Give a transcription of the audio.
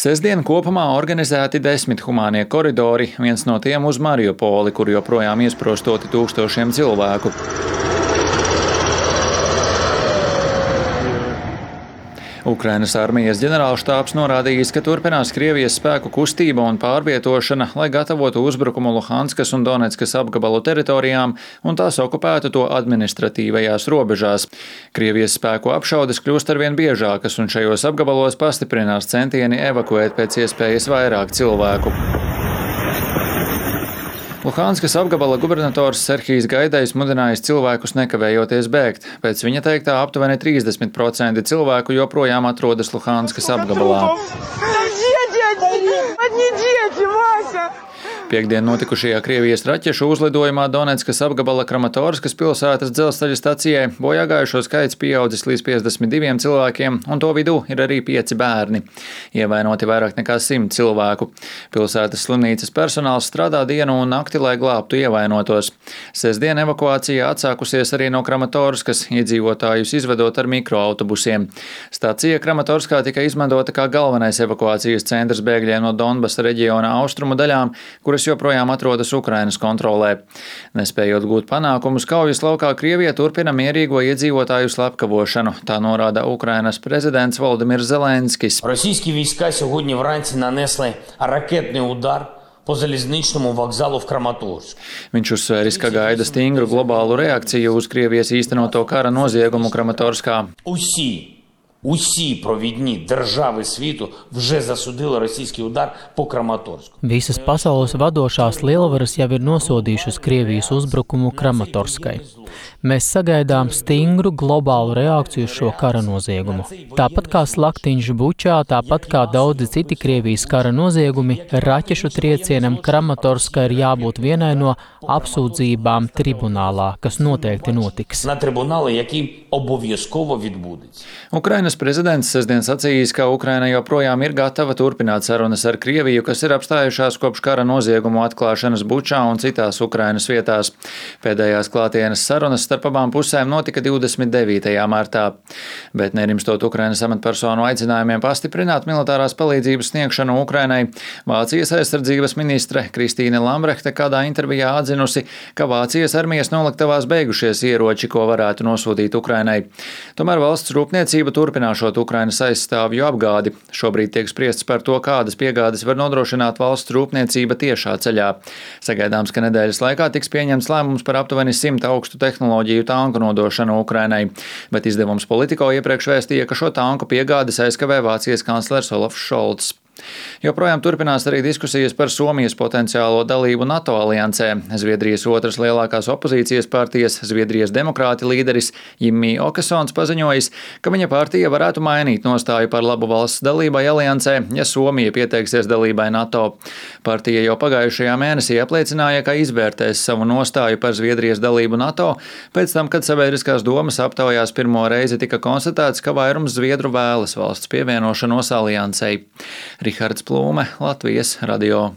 Sestdien kopumā organizēti 10 humānie koridori, viens no tiem uz Mariupoli, kur joprojām iesprostoti tūkstošiem cilvēku. Ukrainas armijas ģenerālštābs norādījis, ka turpinās Krievijas spēku kustība un pārvietošana, lai gatavotu uzbrukumu Luhanskas un Donetskas apgabalu teritorijām un tās okupētu to administratīvajās robežās. Krievijas spēku apšaudes kļūst arvien biežākas un šajos apgabalos pastiprinās centieni evakuēt pēc iespējas vairāk cilvēku. Luhanskas apgabala gubernators Serhijs Gaidajs mudinājis cilvēkus nekavējoties bēgt. Pēc viņa teiktā aptuveni 30% cilvēku joprojām atrodas Luhanskas apgabalā. Piektdien notikušajā Krievijas raķešu uzlidojumā Donetskas apgabala Kramatorskas pilsētas dzelzceļa stacijai bojāgājušo skaits pieaudzis līdz 52 cilvēkiem, un to vidū ir arī 5 bērni. Ievainoti vairāk nekā 100 cilvēku. Pilsētas slimnīcas personāls strādā dienu un nakti, lai glābtu ievainotos. Sestdien evakuācija atsākusies arī no Kramatorskas, iedzīvotājus izvedot ar mikroautobusiem. Stacija Kramatorskā tika izmantota kā galvenais evakuācijas centrs bēgļiem no Donbasa reģiona austrumu daļām, kuras joprojām atrodas Ukrainas kontrolē. Nespējot gūt panākumus, kaujas laukā Krievija turpina mierīgo iedzīvotāju slepkavošanu, tā norāda Ukrainas prezidents Volodimirs Zelenskis. Російські війська сьогодні вранці нанесли ракетний удар по залізничному вокзалу в Краматорську. Viņš uzsvēris, ka gaida stingru globālu reakciju uz Krievijas īstenoto kara noziegumu Kramatorskā. Усі провідні держави світу вже засудили російський удар по Краматорску. Visas pasaules vadošās lielvaras jau ir nosodījušas Krievijas uzbrukumu Kramatorskai. Mēs sagaidām stingru globālu reakciju uz šo kara noziegumu. Tāpat kā slaktiņš Bučā, tāpat kā daudzi citi Krievijas kara noziegumi, raķešu triecienam Kramatorska ir jābūt vienai no apsūdzībām tribunālā, kas noteikti notiks. На трибунали, який обов'язково відбудеться. Ukrainas prezidents sestdien sacījis, ka Ukraina joprojām ir gatava turpināt sarunas ar Krieviju, kas ir apstājušās kopš kara noziegumu atklāšanas Bučā un citās Ukrainas vietās. Pēdējās klātienes sarunas starp abām pusēm notika 29. martā. Bet nerimstot Ukrainas amatpersonu aicinājumiem pastiprināt militārās palīdzības sniegšanu Ukrainai, Vācijas aizsardzības ministre Kristīne Lambrehte kādā intervijā atzinusi, ka Vācijas armijas noliktavās beigušies ieroči, ko varētu nosūtīt Ukrainai. Tomēr valsts rūpniecība turpināšot Ukrainas aizstāvju apgādi. Šobrīd tiek spriests par to, kādas piegādes var nodrošināt valsts rūpniecība tiešā ceļā. Sagaidāms, ka nedēļas laikā tiks pieņemts lēmums par aptuveni 100 augstu tehnoloģiju tanku nodošanu Ukrainai, bet izdevums Politico iepriekš vēstīja, ka šo tanku piegādes aizkavē Vācijas kanclers Olafs Šolts. Joprojām turpinās arī diskusijas par Somijas potenciālo dalību NATO aliansē. Zviedrijas otras lielākās opozīcijas partijas, Zviedrijas demokrāti līderis Jimmy Åkesons paziņojis, ka viņa partija varētu mainīt nostāju par labu valsts dalībai aliansē, ja Somija pieteiksies dalībai NATO. Partija jau pagājušajā mēnesī apliecināja, ka izvērtēs savu nostāju par Zviedrijas dalību NATO, pēc tam, kad sabiedriskās domas aptaujās pirmo reizi tika konstatēts, ka vairums zviedru vēlas valsts pievienošanos aliansei. Rihards Plūme, Latvijas radio.